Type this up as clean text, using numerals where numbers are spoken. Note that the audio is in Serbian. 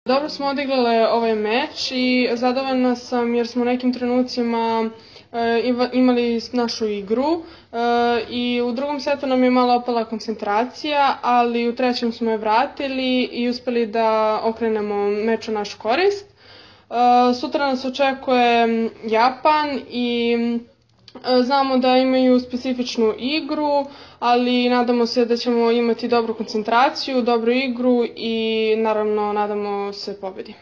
Dobro smo odigrale ovaj meč i zadovoljna sam jer smo u nekim trenucima imali našu igru i u drugom setu nam je malo opala koncentracija, ali u trećem smo je vratili i uspeli da okrenemo meč u našu korist. Sutra nas očekuje Japan i znamo da imaju specifičnu igru, ali nadamo se da ćemo imati dobru koncentraciju, dobru igru i naravno nadamo se pobedi.